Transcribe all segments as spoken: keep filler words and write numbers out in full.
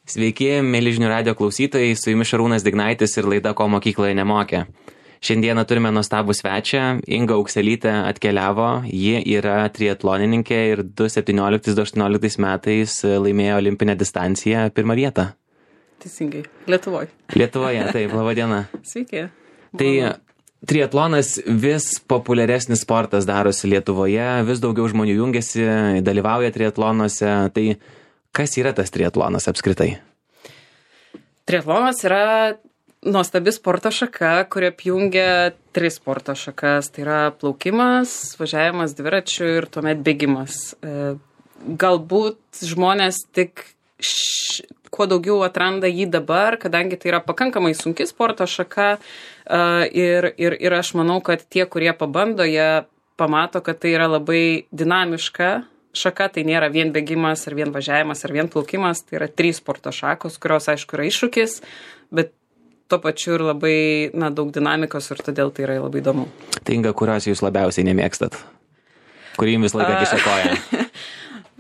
Sveiki, mėly žinių radijo klausytojai, su jumis Šarūnas Dignaitis ir laida Ko mokykloje nemokė. Šiandieną turime nuostabų svečią, Inga Aukselytė atkeliavo, ji yra triatlonininkė ir du septynioliktais du aštuonioliktais metais laimėjo olimpinę distanciją pirmą vietą. Teisingai, Lietuvoje. Lietuvoje, taip, laba diena. Sveiki. Tai triatlonas vis populiaresnis sportas darosi Lietuvoje, vis daugiau žmonių jungiasi, dalyvauja triatlonuose, tai kas yra tas triatlonas apskritai? Triatlonas yra nuostabi sporto šaka, kuri apjungia tris sporto šakas. Tai yra plaukimas, važiavimas dviračiu ir tuomet bėgimas. Galbūt žmonės tik š... kuo daugiau atranda jį dabar, kadangi tai yra pakankamai sunki sporto šaka ir, ir, ir aš manau, kad tie, kurie pabando, jie pamato, kad tai yra labai dinamiška šaka, tai nėra vien bėgimas, ar vien važiavimas, ar vien plaukimas, tai yra trys sporto šakos, kurios, aišku, yra iššūkis, bet tuo pačiu ir labai na, daug dinamikos ir todėl tai yra labai įdomu. Tai Inga, kurios jūs labiausiai nemėgstat? Kurį jums vis laiką kiša koją?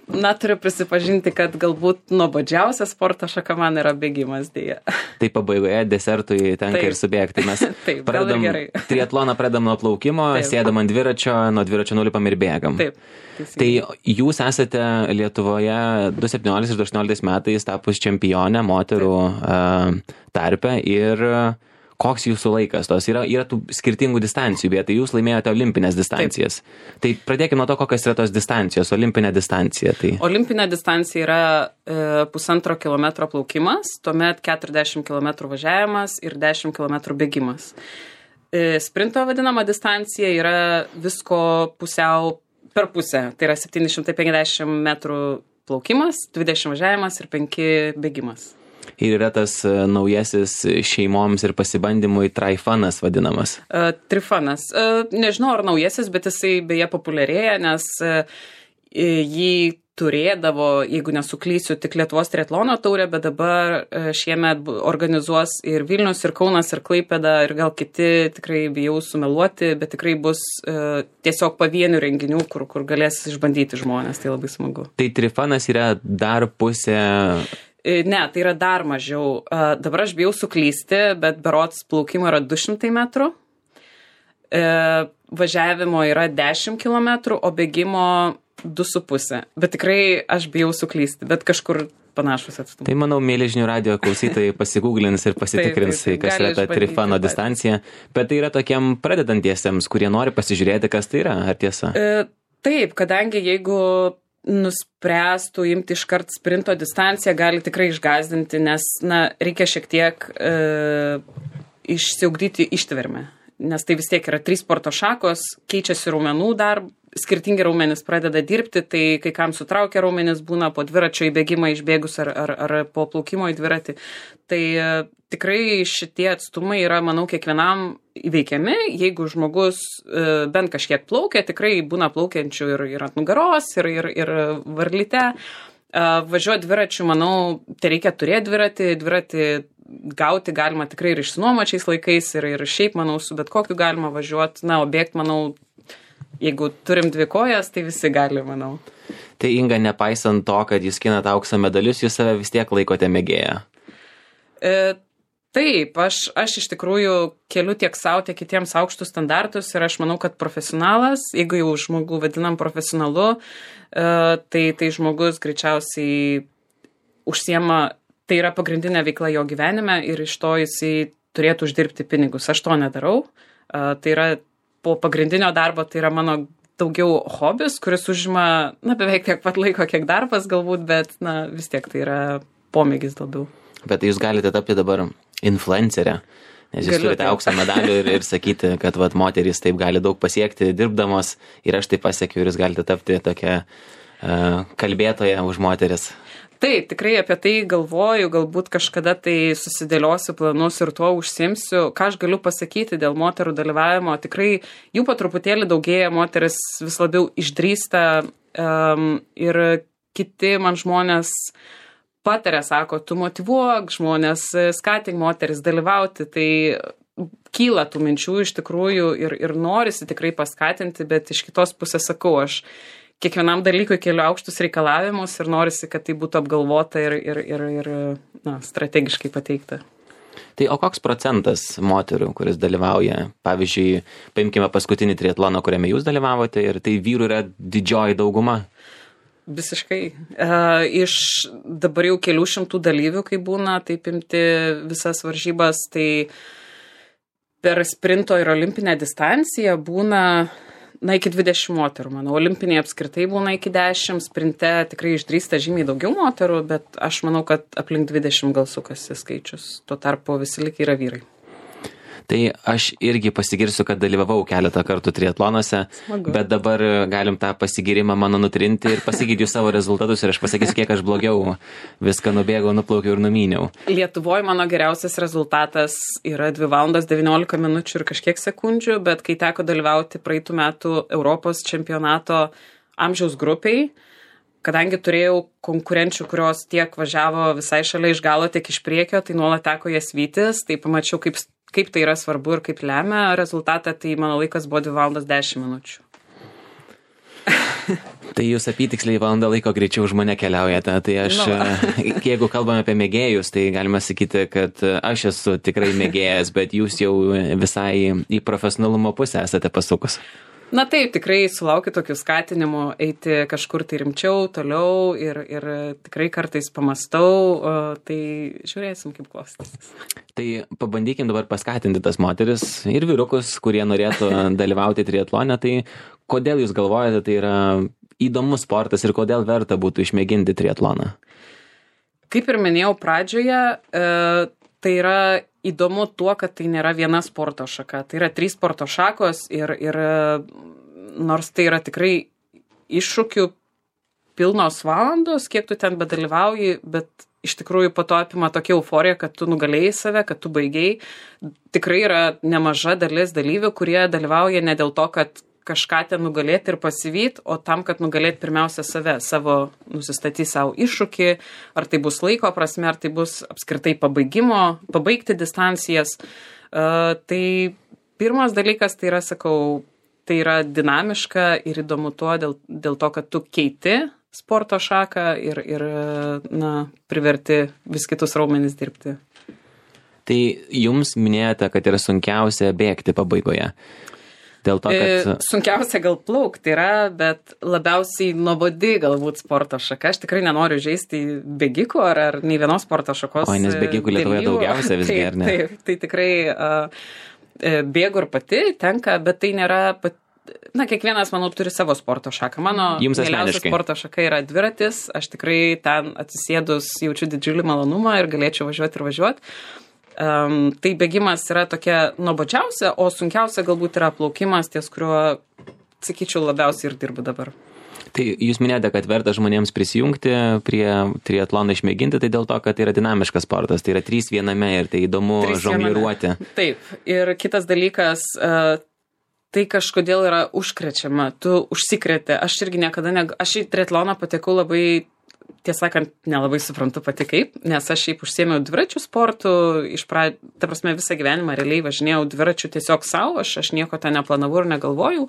Na, turiu prisipažinti, kad galbūt nuobodžiausia sporto šaka man yra bėgimas, dėja. Tai pabaigoje desertui tenka Taip. ir subėgti. Mes Taip, pradedam, triatloną pradedam nuo plaukimo, Taip. Sėdam ant dviračio, nuo dviračio nulipam ir bėgam. Taip. Teisingai. Tai jūs esate Lietuvoje du septynioliktais du aštuonioliktais metais tapus čempionė moterų uh, tarpe ir koks jūsų laikas tos? Yra, yra tų skirtingų distancijų, bet tai jūs laimėjote olimpinės distancijas. Taip. Tai pradėkime nuo to, kokios yra tos distancijos, olimpinė distancija. Tai... Olimpinė distancija yra e, pusantro kilometro plaukimas, tuomet keturiasdešimt kilometrų važiavimas ir dešimt kilometrų bėgimas. E, sprinto vadinama distancija yra visko pusiau per pusę, tai yra septyni šimtai penkiasdešimt metrų plaukimas, dvidešimt važiavimas ir penki bėgimas. Ir yra tas naujasis šeimoms ir pasibandymui trifanas vadinamas. Uh, trifanas. Uh, nežinau, ar naujasis, bet jisai beje populiarėja, nes uh, jį turėdavo, jeigu nesuklysiu, tik Lietuvos triatlono taurė, bet dabar uh, šiemet organizuos ir Vilnius, ir Kaunas, ir Klaipėda, ir gal kiti, tikrai bijau sumeluoti, bet tikrai bus uh, tiesiog pavienių renginių, kur, kur galės išbandyti žmonės, tai labai smagu. Tai trifanas yra dar pusė... Ne, tai yra dar mažiau. Dabar aš bijau suklysti, bet berods plaukimo yra du šimtai metrų, važiavimo yra dešimt kilometrų, o bėgimo du su pusė. Bet tikrai aš bijau suklysti, bet kažkur panašus atstumai. Tai manau, mėly žinių radijo klausytojai pasigūglins ir pasitikrins, taip, taip, taip. Kas yra ta trifano distancija. Bet tai yra tokiem pradedantiesiems, kurie nori pasižiūrėti, kas tai yra, ar tiesa? E, taip, kadangi jeigu nuspręstų imti iškart sprinto distanciją, gali tikrai išgąsdinti, nes na, reikia šiek tiek e, išsiugdyti ištvermę. Nes tai vis tiek yra trys sporto šakos, keičiasi raumenų dar, skirtingi raumenys pradeda dirbti, tai kai kam sutraukia raumenys, būna po dviračio į bėgimą išbėgus ar, ar, ar po plaukimo į dviratį. Tai e, tikrai šitie atstumai yra, manau, kiekvienam įveikiami. Jeigu žmogus e, bent kažkiek plaukia, tikrai būna plaukiančių ir, ir ant nugaros, ir, ir, ir varlyte. E, važiuoti dviračiu, manau, tai reikia turėti dviratį, dviratį gauti galima tikrai ir išsinuomačiais laikais, ir, ir šiaip, manau, su bet kokiu galima važiuoti. Na, o bėgti, manau, jeigu turim dvi kojas, tai visi gali, manau. Tai Inga, nepaisant to, kad jūs skinat aukso medalius, jūs save vis tiek laikote mėgėją. E, taip, aš, aš iš tikrųjų keliu tiek savo, tiek kitiems aukštus standartus ir aš manau, kad profesionalas, jeigu jau žmogų vadinam profesionalu, e, tai, tai žmogus greičiausiai užsiema, tai yra pagrindinė veikla jo gyvenime ir iš to jisai turėtų uždirbti pinigus. Aš to nedarau. E, tai yra po pagrindinio darbo, tai yra mano daugiau hobis, kuris užima, na, beveik tiek pat laiko, kiek darbas galbūt, bet, na, vis tiek tai yra pomėgis labiau. Bet jūs galite tapti dabar influencerė, nes jūs Galiu, turite taip. Auksą medalių ir, ir sakyti, kad vat, moterys taip gali daug pasiekti dirbdamos ir aš taip pasiekiu ir jūs galite tapti tokia uh, kalbėtoja už moteris. Taip, tikrai apie tai galvoju, galbūt kažkada tai susidėliosiu planus ir tuo užsimsiu. Ką aš galiu pasakyti dėl moterų dalyvavimo, tikrai jų po truputėlį daugėja, moteris vis labiau išdrįsta um, ir kiti man žmonės pataria, sako, tu motyvuok žmonės, skatink moteris dalyvauti, tai kyla tų minčių iš tikrųjų ir, ir norisi tikrai paskatinti, bet iš kitos pusės sakau, aš kiekvienam dalykui keliu aukštus reikalavimus ir norisi, kad tai būtų apgalvota ir, ir, ir, ir na, strategiškai pateikta. Tai o koks procentas moterų, kuris dalyvauja, pavyzdžiui, paimkime paskutinį triatloną, kuriame jūs dalyvavote, ir tai vyrų yra didžioji dauguma? Visiškai. Uh, iš dabar jau kelių šimtų dalyvių, kai būna, taip imti visas varžybas, tai per sprinto ir olimpinę distanciją būna, na, iki dvidešimt moterų, manau. Olimpinėje apskritai būna iki dešimt, sprinte tikrai išdrįsta žymiai daugiau moterų, bet aš manau, kad aplink dvidešimt gal sukasi skaičius. Tuo tarpu visi likai yra vyrai. Tai aš irgi pasigirsiu, kad dalyvavau keletą kartų triatlonuose, Smagu. Bet dabar galim tą pasigirimą mano nutrinti ir pasakyti jų savo rezultatus ir aš pasakysiu, kiek aš blogiau viską nubėgau, nuplaukiau ir numyniau. Lietuvoje mano geriausias rezultatas yra dvi valandos devyniolika minučių ir kažkiek sekundžių, bet kai teko dalyvauti praeitų metų Europos čempionato amžiaus grupiai, kadangi turėjau konkurenčių, kurios tiek važiavo visai šalia iš galo, tiek iš priekio, tai nuolat teko jas vytis, tai pamačiau, kaip kaip tai yra svarbu ir kaip lemia rezultatą, tai mano laikas buvo dvi valandos dešimt minučių. Tai jūs apytiksliai valandą laiko greičiau už mane keliaujate. Tai aš, no. Jeigu kalbame apie mėgėjus, tai galima sakyti, kad aš esu tikrai mėgėjas, bet jūs jau visai į profesionalumo pusę esate pasukus. Na taip, tikrai sulaukiu tokių skatinimų eiti kažkur tai rimčiau, toliau ir, ir tikrai kartais pamastau, tai žiūrėsim, kaip klostysis. Tai pabandykim dabar paskatinti tas moteris ir vyrukus, kurie norėtų dalyvauti triatlone. Tai kodėl jūs galvojate, tai yra įdomus sportas ir kodėl verta būtų išmėginti triatloną? Kaip ir minėjau pradžioje, tai yra įdomu tuo, kad tai nėra viena sporto šaka. Tai yra trys sporto šakos ir, ir nors tai yra tikrai iššūkių pilnos valandos, kiek tu ten bedalyvauji, bet iš tikrųjų po to apima tokia euforija, kad tu nugalėjai save, kad tu baigiai. Tikrai yra nemaža dalis dalyvių, kurie dalyvauja ne dėl to, kad kažką ten nugalėti ir pasivyt, o tam, kad nugalėti pirmiausia save, savo nusistatyti savo iššūkį, ar tai bus laiko prasme, ar tai bus apskritai pabaigimo, pabaigti distancijas. Uh, tai pirmas dalykas, tai yra, sakau, tai yra dinamiška ir įdomu tuo dėl, dėl to, kad tu keiti sporto šaką ir, ir na, priverti vis kitus raumenis dirbti. Tai jums minėjote, kad yra sunkiausia bėgti pabaigoje. Dėl to, kad... Sunkiausia gal plaukti yra, bet labiausiai nuobodi galbūt sporto šaka. Aš tikrai nenoriu žaisti bėgikų ar, ar nei vienos sporto šakos. O, nes bėgikų Lietuvoje daugiausia visgi, ar ne? Taip, tai tikrai uh, bėgu ir pati tenka, bet tai nėra... Pat... Na, kiekvienas, manau, turi savo sporto šaką. Mano mėliausia sporto šaka yra dviratis. Aš tikrai ten atsisėdus jaučiu didžiulį malonumą ir galėčiau važiuoti ir važiuoti. Um, tai bėgimas yra tokia nuobodžiausia, o sunkiausia galbūt yra plaukimas, ties kuriuo, sakyčiau, labiausiai ir dirbu dabar. Tai jūs minėjote, kad verta žmonėms prisijungti prie triatlono išmėginti, tai dėl to, kad tai yra dinamiškas sportas, tai yra trys viename ir tai įdomu žongliruoti. Taip, ir kitas dalykas, uh, tai kažkodėl yra užkrečiama, tu užsikrėti. Aš irgi niekada, ne... aš į triatloną patekau labai... Tiesą sakant, nelabai suprantu pati kaip, nes aš šiaip užsiėmiau dviračių sportų, iš pra... ta prasme visą gyvenimą realiai važinėjau dviračių tiesiog savo, aš, aš nieko ten neplanavau ir negalvojau.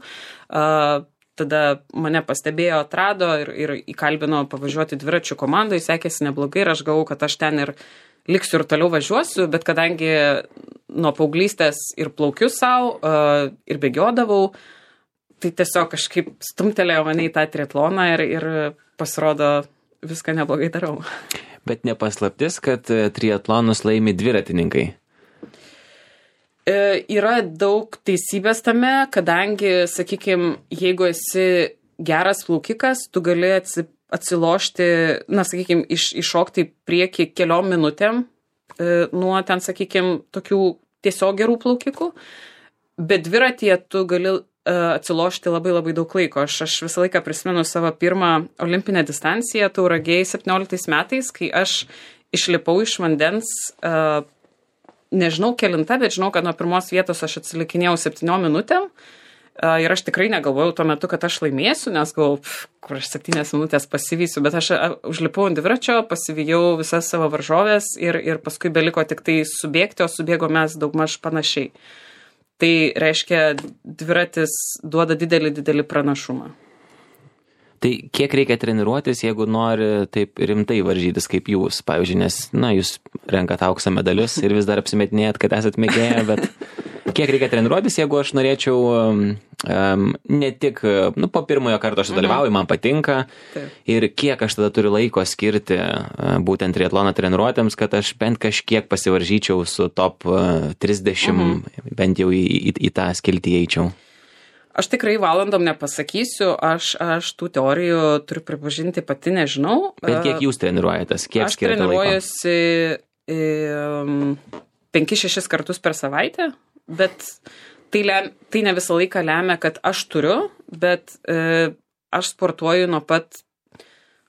Uh, tada mane pastebėjo, atrado ir, ir įkalbino pavažiuoti dviračių komandai, sekėsi neblogai ir aš galvau, kad aš ten ir liksiu ir toliau važiuosiu, bet kadangi nuo paauglystės ir plaukiu savo uh, ir bėgiodavau, tai tiesiog kažkaip stumtelėjo mane į tą triatloną ir, ir pasirodo, viską neblogai darau. Bet nepaslaptis, kad triatlonus laimi dviratininkai. E, yra daug teisybės tame, kadangi, sakykime, jeigu esi geras plaukikas, tu gali atsilošti, na, sakykime, iš, iššokti prieki keliom minutėm e, nuo ten, sakykime, tokių tiesiog gerų plaukikų, bet dviratyje tu gali atsilošti labai labai daug laiko. Aš, aš visą laiką prisimenu savo pirmą olimpinę distanciją Tauragėj septynioliktais metais, kai aš išlipau iš vandens, uh, nežinau kelinta, bet žinau, kad nuo pirmos vietos aš atsilikinėjau septyniom minutėm uh, ir aš tikrai negalvojau tuo metu, kad aš laimėsiu, nes galvojau, kur aš septynias minutės pasivysiu, bet aš uh, užlipau ant dviračio, pasivijau visas savo varžovės ir, ir paskui beliko tik tai subėgti, o subėgo mes daugmaž panašiai. Tai reiškia, dviratis duoda didelį, didelį pranašumą. Tai kiek reikia treniruotis, jeigu nori taip rimtai varžytis kaip jūs, pavyzdžiui, nes, na, jūs renkat aukso medalius ir vis dar apsimetinėjat, kad esat mėgėję, bet kiek reikia treniruotis, jeigu aš norėčiau um, ne tik, nu, po pirmojo karto aš dalyvauju, man patinka, Taip. ir kiek aš tada turiu laiko skirti uh, būtent triatlono treniruotėms, kad aš bent kažkiek pasivaržyčiau su top uh, trisdešimt, mhm. bent jau į, į, į tą skiltį eičiau. Aš tikrai valandom nepasakysiu, aš, aš tų teorijų turiu pripažinti pati nežinau. Bet kiek jūs treniruojatės, kiek aš skiriate laiko? Aš treniruojuosi penkis šešis kartus per savaitę, bet tai, lem, tai ne visą laiką lemia, kad aš turiu, bet e, aš sportuoju nuo pat,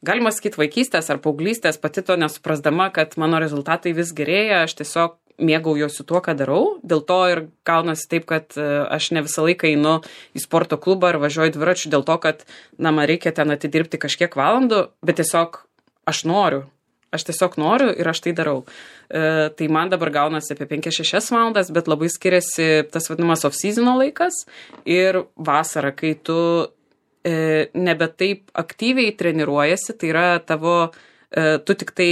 galima sakyti, vaikystės ar paauglystės, pati to nesuprasdama, kad mano rezultatai vis gerėja, aš tiesiog mėgaujuosi tuo, ką darau, dėl to ir gaunasi taip, kad aš ne visą laiką einu į sporto klubą ar važiuoju dviračiu dėl to, kad, na, man reikia ten atidirbti kažkiek valandų, bet tiesiog aš noriu, aš tiesiog noriu ir aš tai darau. E, tai man dabar gaunasi apie penkias šešias valandas, bet labai skiriasi tas vadinamas off-seasono laikas ir vasara, kai tu e, nebe taip aktyviai treniruojasi, tai yra tavo, e, tu tik tai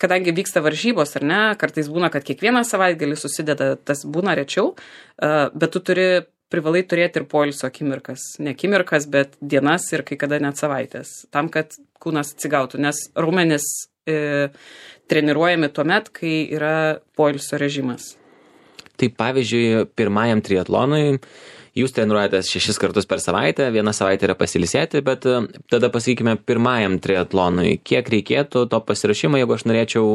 kadangi vyksta varžybos, ar ne, kartais būna, kad kiekvieną savaitgalį susideda, tas būna rečiau, bet tu turi, privalai turėti ir poilsio akimirkas. Ne akimirkas, bet dienas ir kai kada net savaitės, tam, kad kūnas atsigautų, nes raumenys e, treniruojami tuomet, kai yra poilsio režimas. Tai pavyzdžiui, pirmajam triatlonui jūs treniruojatės šešis kartus per savaitę, vieną savaitę yra pasilisėti, bet tada pasakykime pirmajam triatlonui, kiek reikėtų to pasirašymo, jeigu aš norėčiau,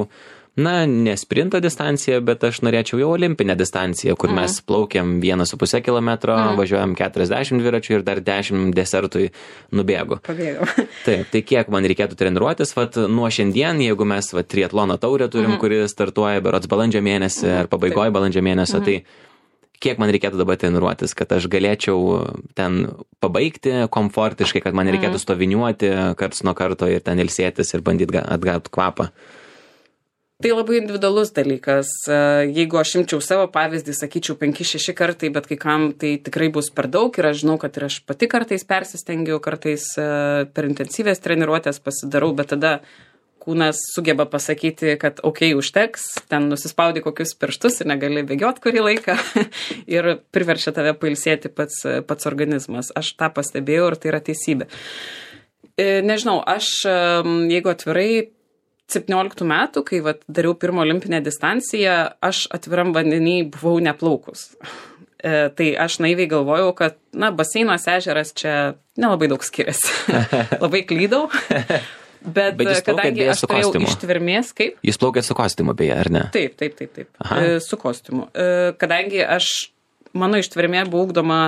na, ne sprinto distanciją, bet aš norėčiau jau olimpinę distanciją, kur mm. mes plaukiam vieną su pusę kilometro, mm. važiuojam keturiasdešimt dviračių ir dar dešimt desertui nubėgu. Pabėgau. Taip, tai kiek man reikėtų treniruotis, vat nuo šiandien, jeigu mes vat triatlono taurę turim, mm. kuri startuoja berods balandžio mėnesį mm. ar pabaigoje balandžio mėnesio, mm. tai kiek man reikėtų dabar treniruotis, kad aš galėčiau ten pabaigti komfortiškai, kad man reikėtų stoviniuoti karts nuo karto ir ten ilsėtis ir bandyti atgauti kvapą? Tai labai individualus dalykas. Jeigu aš imčiau savo pavyzdį, sakyčiau penki šeši kartai, bet kai kam tai tikrai bus per daug ir aš žinau, kad ir aš pati kartais persistengiu, kartais per intensyvės treniruotės pasidarau, bet tada kūnas sugeba pasakyti, kad okei, okay, užteks, ten nusispaudi kokius pirštus ir negali bėgioti kurį laiką ir priverčia tave pailsėti pats, pats organizmas. Aš tą pastebėjau ir tai yra teisybė. Nežinau, aš, jeigu atvirai, septynioliktų metų, kai vat, dariau pirmą olimpinę distanciją, aš atviram vandenį buvau neplaukus. E, tai aš naiviai galvojau, kad, na, baseinas, ežeras čia nelabai daug skiriasi. Labai klydau. Bet, Bet kadangi aš turėjau ištvermės, kaip? Jūs plaukėt su kostiumu, beje, ar ne? Taip, taip, taip, taip. E, su kostiumu. E, kadangi aš, mano ištvermė buvo ugdoma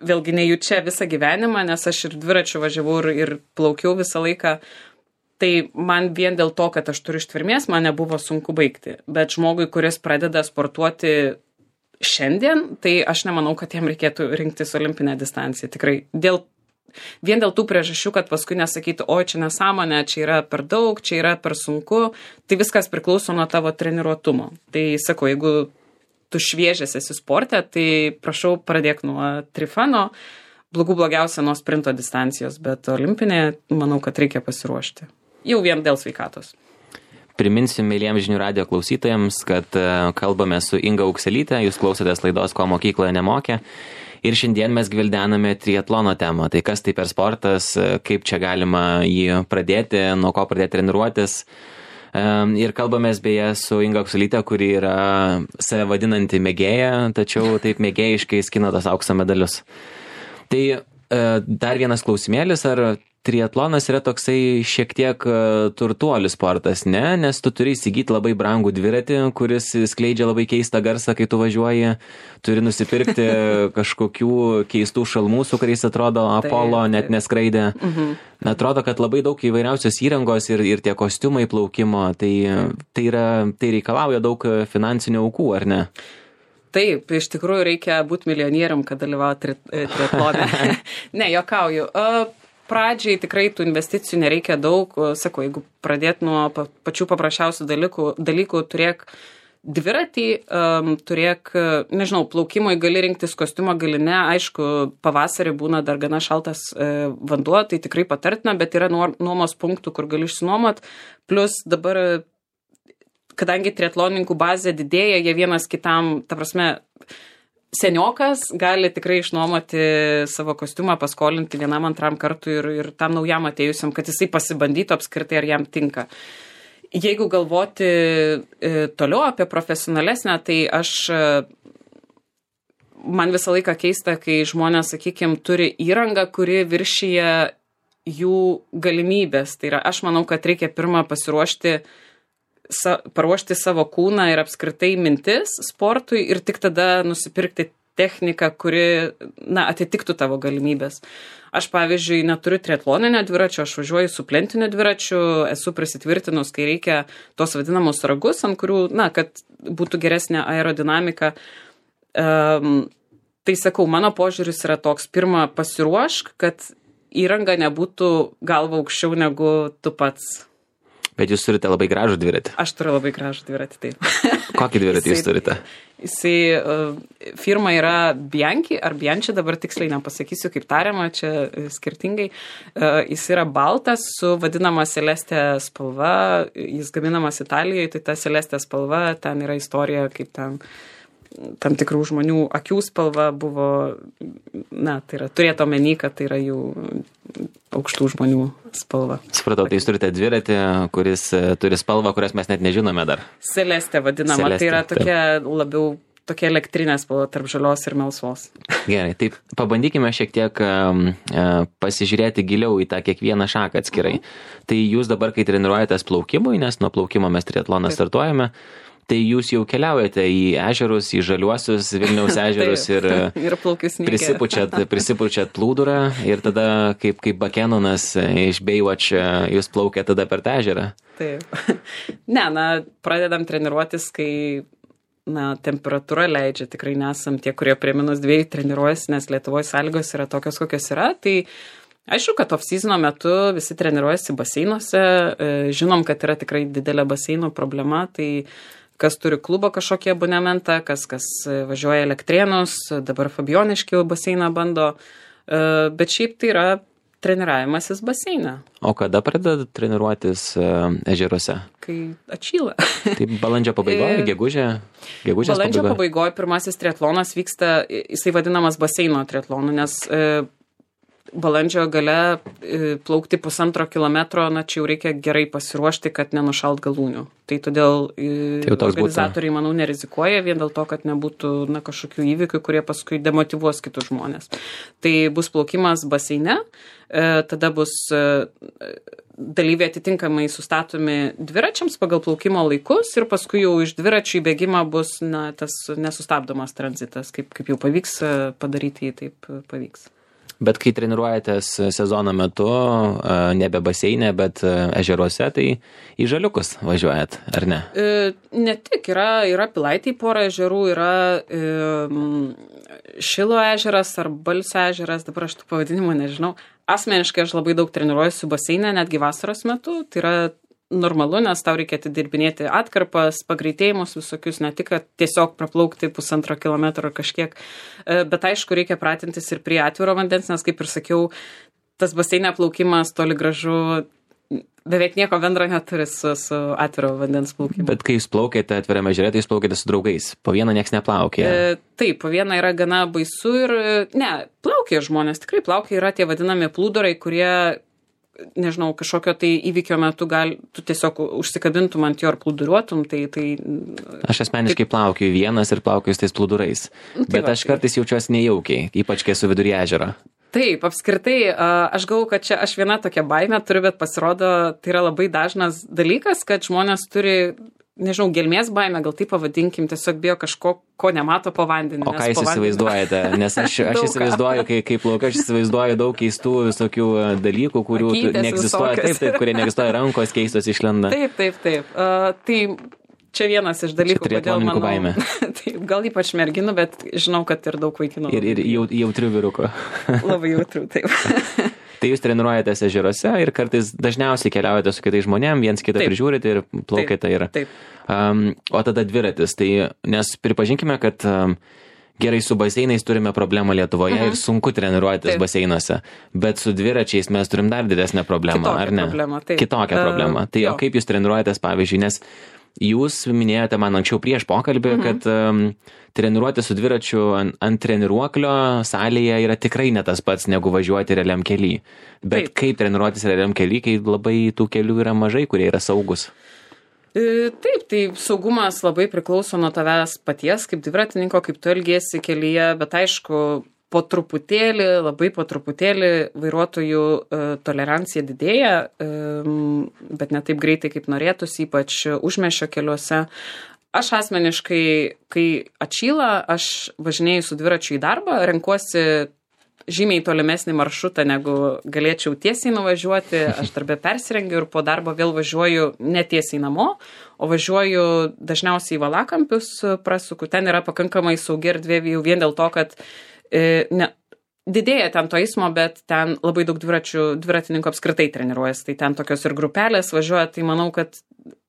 vėlgi nejučia visą gyvenimą, nes aš ir dviračiu važiavau ir, ir plaukiau visą laiką, tai man vien dėl to, kad aš turiu ištvermės, man nebuvo sunku baigti. Bet žmogui, kuris pradeda sportuoti šiandien, tai aš nemanau, kad jam reikėtų rinktis olimpinę distanciją. Tikrai dėl Vien dėl tų priežasčių, kad paskui nesakytų, oi, čia nesąmonė, čia yra per daug, čia yra per sunku, tai viskas priklauso nuo tavo treniruotumo. Tai sakau, jeigu tu šviežias esi sporte, tai prašau pradėk nuo trifano, blogų blogiausia nuo sprinto distancijos, bet olimpinė, manau, kad reikia pasiruošti. Jau vien dėl sveikatos. Priminsiu mėlyjams žinių radijo klausytojams, kad kalbame su Inga Aukselytė, jūs klausotės laidos, ko mokykloje nemokė. Ir šiandien mes gvildename triatlono temą. Tai kas tai per sportas, kaip čia galima jį pradėti, nuo ko pradėti treniruotis. Ir kalbamės beje su Inga Aukselytė, kuri yra save vadinanti mėgėja, tačiau taip mėgėjiškai skina tos aukso medalius. Tai dar vienas klausimėlis, ar triatlonas yra toksai šiek tiek turtuolių sportas, ne? Nes tu turi įsigyti labai brangų dviratį, kuris skleidžia labai keistą garsą, kai tu važiuoji. Turi nusipirkti kažkokių keistų šalmų, su kuriais atrodo Apollo net neskraidė. Atrodo, kad labai daug įvairiausios įrangos ir, ir tie kostiumai plaukimo, tai, tai, yra, tai reikalauja daug finansinių aukų, ar ne? Taip, iš tikrųjų reikia būti milijonierium, kad dalyvauti triatlone. Ne, juokauju. Pradžiai tikrai tų investicijų nereikia daug. Sakau, jeigu pradėt nuo pačių paprasčiausių dalykų, dalykų turėk dviratį, um, turėk, nežinau, plaukimui gali rinktis kostiumą, gali ne, aišku, pavasarį būna dar gana šaltas uh, vanduo, tai tikrai patartina, bet yra nuomos punktų, kur gali išsinuomot, plus dabar, kadangi triatlonininkų bazė didėja, jie vienas kitam, ta prasme, seniokas gali tikrai išnuomoti savo kostiumą, paskolinti vienam antram kartui ir, ir tam naujam atėjusiam, kad jisai pasibandytų apskritai, ar jam tinka. Jeigu galvoti e, toliau apie profesionalesnę, tai aš, e, man visą laiką keista, kai žmonės, sakykime, turi įrangą, kuri viršyje jų galimybės. Tai yra, aš manau, kad reikia pirmą pasiruošti Sa, paruošti savo kūną ir apskritai mintis sportui ir tik tada nusipirkti techniką, kuri, na, atitiktų tavo galimybės. Aš, pavyzdžiui, neturiu triatloninio dviračio, aš važiuoju su plentiniu dviračiu, esu prisitvirtinus, kai reikia tos vadinamus ragus, ant kurių, na, kad būtų geresnė aerodinamika. Um, tai sakau, mano požiūris yra toks, pirmą pasiruošk, kad įranga nebūtų galva aukščiau negu tu pats. Bet jūs turite labai gražų dviratį. Aš turiu labai gražų dviratį, taip. Kokį dviratį jūs turite? Jisai, uh, firma yra Bianchi, ar Bianchi, dabar tiksliai nepasakysiu, kaip tariama, čia skirtingai. Uh, jis yra baltas su vadinama Celeste spalva, jis gaminamas Italijoje, tai ta Celeste spalva, ten yra istorija, kaip ten tam tikrų žmonių akių spalva buvo, na, tai yra, turėtų omeny, kad tai yra jų aukštų žmonių spalva. Supratau, tai jūs turite dviratį, kuris turi spalvą, kurias mes net nežinome dar. Celeste vadinama, Celeste, tai yra tokia taip. Labiau tokia elektrinė spalva tarp žalios ir melsvos. Gerai, tai pabandykime šiek tiek uh, pasižiūrėti giliau į tą kiekvieną šaką atskirai. Mhm. Tai jūs dabar, kai treniruojatės plaukimui, nes nuo plaukimo mes triatloną startuojame, tai jūs jau keliaujate į ežerus, į žaliuosius Vilniaus ežerus ir, ir prisipučiat, prisipučiat plūdurą ir tada kaip, kaip Bakenonas iš Baywatch jūs plaukia tada per tą ežerą. Taip. Ne, na, pradedam treniruotis, kai na, temperatūra leidžia, tikrai nesam tie, kurie prie minus dviejų treniruojasi, nes Lietuvoje sąlygos yra tokios, kokios yra, tai aišku, kad off-seasono metu visi treniruojasi baseinuose, žinom, kad yra tikrai didelė baseinų problema, tai kas turi klubo kažkokį abonementą, kas, kas važiuoja Elektrėnus, dabar Fabioniškių baseiną bando, bet šiaip tai yra treniravimasis baseiną. O kada pradeda treniruotis ežeruose? Kai atšyla. Tai balandžio pabaigoje, gegužė, gegužės pabaigoje? Balandžio pabaigoje pirmasis triatlonas vyksta, jisai vadinamas baseino triatlonu, nes balandžio gale plaukti pusantro kilometro, na čia jau reikia gerai pasiruošti, kad nenušalt galūnių. Tai todėl tai organizatoriai, manau, nerizikuoja vien dėl to, kad nebūtų na, kažkokių įvykių, kurie paskui demotyvuos kitus žmonės. Tai bus plaukimas baseine, tada bus dalyviai atitinkamai sustatomi dviračiams pagal plaukimo laikus ir paskui jau iš dviračių į bėgimą bus na, tas nesustabdomas tranzitas. Kaip, kaip jau pavyks padaryti, taip pavyks. Bet kai treniruojatės sezono metu, nebe baseinė, bet ežeruose, tai į žaliukus važiuojat, ar ne? E, ne tik, yra, yra Pilaitėj pora ežerų, yra e, Šilo ežeras ar Balsio ežeras, dabar aš tų pavadinimų nežinau. Asmeniškai aš labai daug treniruojuosi baseinę, netgi vasaros metu, tai yra normalu, nes tau reikia atidirbinėti atkarpas, pagreitėjimus visokius, ne tik tiesiog praplaukti pusantro kilometro kažkiek, bet aišku, reikia pratintis ir prie atviro vandens, nes kaip ir sakiau, tas baseinė plaukimas toli gražu beveik nieko bendro neturi su, su atviro vandens plaukimu. Bet kai jūs plaukėte atvirame ežere, tai jūs plaukėte su draugais, po vieną nieks neplaukė. E, taip, po vieną yra gana baisu ir, ne, plaukė žmonės, tikrai plaukė, yra tie vadinami plūdurai, kurie nežinau, kažkokio tai įvykio metu gal, tu tiesiog užsikabintum ant jo ir plūduriuotum, tai... tai aš asmeniškai taip, plaukiu vienas ir plaukiu tais plūdurais, tai bet va, aš kartais jaučiuosi nejaukiai, ypač kai esu vidury ežero. Taip, apskritai, aš galvoju, kad čia aš viena tokia baimė turiu, bet pasirodo, tai yra labai dažnas dalykas, kad žmonės turi, nežinau, gelmės baimę, gal taip pavadinkim, tiesiog bijo kažko, ko nemato po vandeniu. O ką jūs įsivaizduojate? Nes aš, aš įsivaizduoju, kai, kai plaukiu, aš įsivaizduoju daug keistų visokių dalykų, kurių neegzistuoja, taip, taip, kurie neegzistuoja, rankos keistos išlenda. Taip, taip, taip. Uh, tai čia vienas iš dalykų, kodėl manau, baimė. Taip, gal ypač merginų, bet žinau, kad ir daug vaikinų. Ir, ir jau, jautrių vyrukų. Labai jautrių, taip. Tai jūs treniruojatės ežeruose ir kartais dažniausiai keliaujate su kitais žmonėm, viens kitą Taip. prižiūrite ir plaukite ir... Taip. Um, o tada dviratis, tai nes pripažinkime, kad um, gerai su baseinais turime problemą Lietuvoje Mhm. ir sunku treniruotis Taip. baseinuose, bet su dviračiais mes turim dar didesnę problemą, Kitokią ar ne? problemą, taip. Kitokią Uh, problemą. Tai jo. o kaip jūs treniruojatės, pavyzdžiui, nes jūs minėjote man anksčiau prieš pokalbį, Mhm. kad um, treniruoti su dviračiu ant, ant treniruoklio salėje yra tikrai ne tas pats, negu važiuoti realiam kely. Bet Taip. kaip treniruotis realiam kely, kai labai tų kelių yra mažai, kurie yra saugus? E, Taip, tai saugumas labai priklauso nuo tavęs paties, kaip dviratininko, kaip tu elgiesi kelyje, bet aišku, po truputėlį, labai po truputėlį vairuotojų e, tolerancija didėja, e, bet ne taip greitai, kaip norėtųsi, ypač užmiesčio keliuose. Aš asmeniškai, kai atšyla, aš važinėju su dviračiu į darbą, renkuosi žymiai tolimesnį maršrutą, negu galėčiau tiesiai nuvažiuoti. Aš darbę persirengiu ir po darbo vėl važiuoju ne tiesiai namo, o važiuoju dažniausiai į Valakampius prasuku. Ten yra pakankamai saugi erdvė jau vien dėl to, kad e, ne, didėja ten to eismo, bet ten labai daug dviračių, dviratininkų apskritai treniruojasi. Tai ten tokios ir grupelės važiuoja, tai manau, kad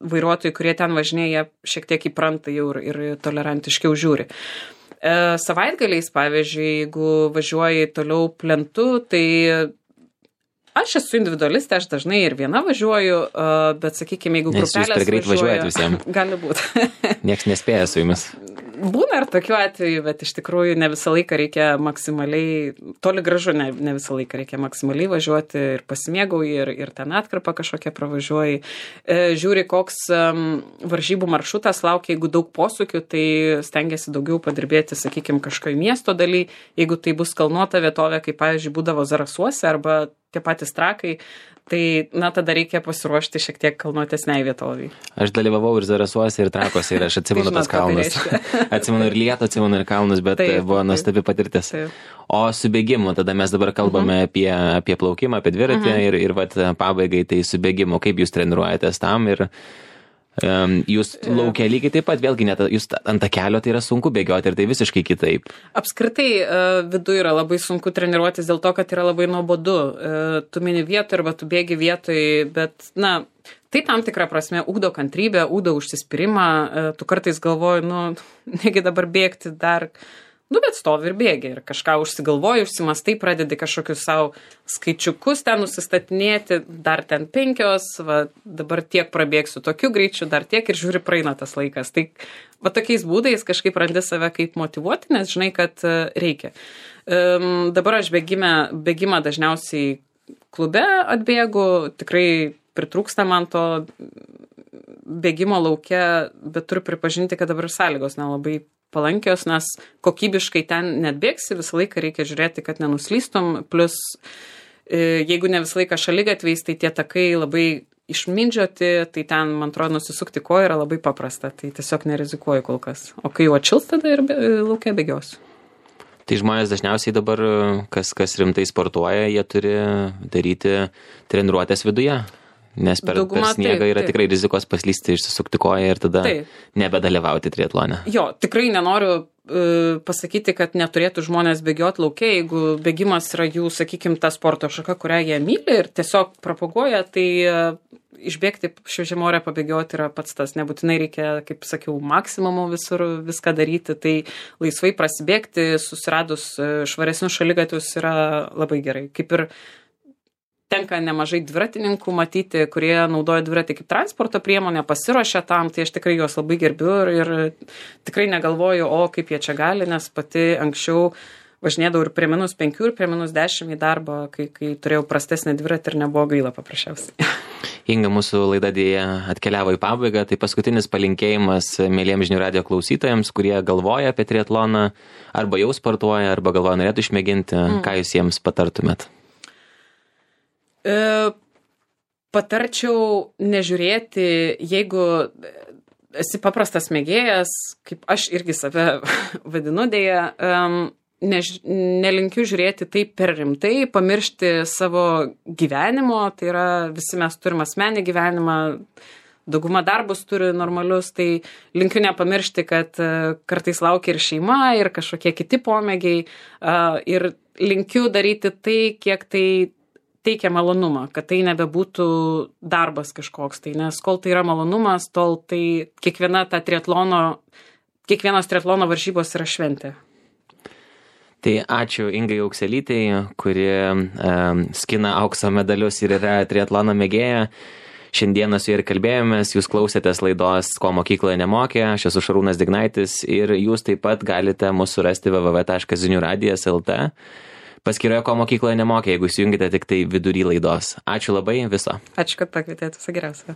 vairuotojai, kurie ten važinėja, šiek tiek įpranta jau ir, ir tolerantiškiau žiūri. E, savaitgaliais, pavyzdžiui, jeigu važiuoji toliau plentu, tai aš esu individualistė, aš dažnai ir viena važiuoju, e, bet, sakykime, jeigu Nes jūs grupelės per greit važiuojat visiems. Gali būti. Nieks nespėja su jumis. Būna ir tokiu atveju, bet iš tikrųjų ne visą laiką reikia maksimaliai, toli gražu ne, ne visą laiką reikia maksimaliai važiuoti ir pasimėgauji ir, ir ten atkarpą kažkokią pravažiuoji. E, žiūri, koks um, varžybų maršrutas laukia, jeigu daug posūkių, tai stengiasi daugiau padirbėti, sakykime, kažkokio miesto daly. Jeigu tai bus kalnuota vietovė, kaip, pavyzdžiui, būdavo Zarasuose arba tie patys Trakai, tai, na, tada reikia pasiruošti šiek tiek kalnuotesniai vietoviai. Aš dalyvavau ir Zarasuose, ir Trakuose, ir aš atsimenu Tai tas žinot, ką tai kalnus. Atsimenu ir Lietuvą, atsimenu ir kalnus, bet Taip, buvo taip. nuostabi patirtis. Taip. O su bėgimu, tada mes dabar kalbame apie, apie plaukimą, apie dviratį ir, ir vat, pabaigai tai su bėgimu, kaip jūs treniruojatės tam ir um, jūs laukia lygiai taip pat, vėlgi net jūs ant tą kelio tai yra sunku bėgioti ir tai visiškai kitaip. Apskritai viduje yra labai sunku treniruotis dėl to, kad yra labai nuobodu. Tu mini vietoj arba tu bėgi vietoj, bet, na, tai tam tikrą prasme ugdo kantrybę, ugdo užsispyrimą. Tu kartais galvoji, nu, negi dabar bėgti dar, nu, bet stovi ir bėgi ir kažką užsigalvoji, užsimastai, pradedi kažkokius savo skaičiukus ten nusistatinėti, dar ten penkios, va, dabar tiek prabėgsiu tokiu greičiu, dar tiek ir žiūri, praeina tas laikas. Tai va tokiais būdais kažkaip randi save kaip motyvuoti, nes žinai, kad reikia. Um, dabar aš bėgime, bėgimą dažniausiai klube atbėgu, tikrai pritrūksta man to bėgimo lauke, bet turiu pripažinti, kad dabar sąlygos nelabai palankios, nes kokybiškai ten net bėgsi, visą laiką reikia žiūrėti, kad nenuslystum, plus jeigu ne visą laiką šaligatviais, tai tie takai labai išmindžioti, tai ten, man atrodo, nusisukti koją yra labai paprasta, tai tiesiog nerizikuoju kol kas. O kai jau atšils, tada ir laukia bėgiosiu. Tai žmonės dažniausiai dabar, kas, kas rimtai sportuoja, jie turi daryti treniruotės viduje. Nes per, Dauguma, per sniegą taip, yra taip. tikrai rizikos paslysti, išsisukti koją ir tada Taip. nebedalyvauti triatlone. Jo, tikrai nenoriu uh, pasakyti, kad neturėtų žmonės bėgioti laukia, jeigu bėgimas yra jų, sakykime, ta sporto šaka, kurią jie myli ir tiesiog propaguoja, tai uh, išbėgti šviežiam ore pabėgioti yra pats tas. Nebūtinai reikia, kaip sakiau, maksimumu visur viską daryti, tai laisvai prasibėgti, susiradus švaresnius šaligatvius yra labai gerai. Kaip ir tenka nemažai dviratininkų matyti, kurie naudoja dviratį kaip transporto priemonę, pasiruošia tam, tai aš tikrai juos labai gerbiu ir, ir tikrai negalvoju, o kaip jie čia gali, nes pati anksčiau važinėdavau ir prie minus penkių, ir prie minus dešimt į darbą, kai, kai turėjau prastesnį dviratį ir nebuvo gaila paprasčiausiai. Inga, mūsų laida dėja atkeliavo į pabaigą, tai paskutinis palinkėjimas mėlyjams žinių radijo klausytojams, kurie galvoja apie triatloną, arba jau sportuoja, arba galvoja norėtų išmėginti, mm. ką jūs jiems patartumėt? E, patarčiau nežiūrėti, jeigu esi paprastas mėgėjas, kaip aš irgi save vadinu dėja, um, ne, nelinkiu žiūrėti taip per rimtai, pamiršti savo gyvenimo, tai yra visi mes turim asmenį gyvenimą, dauguma darbus turi normalius, tai linkiu nepamiršti, kad uh, kartais laukia ir šeima, ir kažkokie kiti pomėgiai, uh, ir linkiu daryti tai, kiek tai teikia malonumą, kad tai nebebūtų darbas kažkoks. Tai nes kol tai yra malonumas, tol tai kiekviena ta triatlono, kiekvienos triatlono varžybos yra šventė. Tai ačiū Ingai Aukselytei, kuri um, skina aukso medalius ir yra triatlono mėgėja. Šiandieną su ja ir kalbėjomės, jūs klausėtės laidos Ko mokykloje nemokė, aš esu Šarūnas Dignaitis ir jūs taip pat galite mūsų surasti w w w taškas zinių radijas taškas l t paskyroje Ko mokykloje nemokė, jeigu įsijungite tik tai vidury laidos. Ačiū labai, viso. Ačiū, kad pakvietėte, viso geriausio.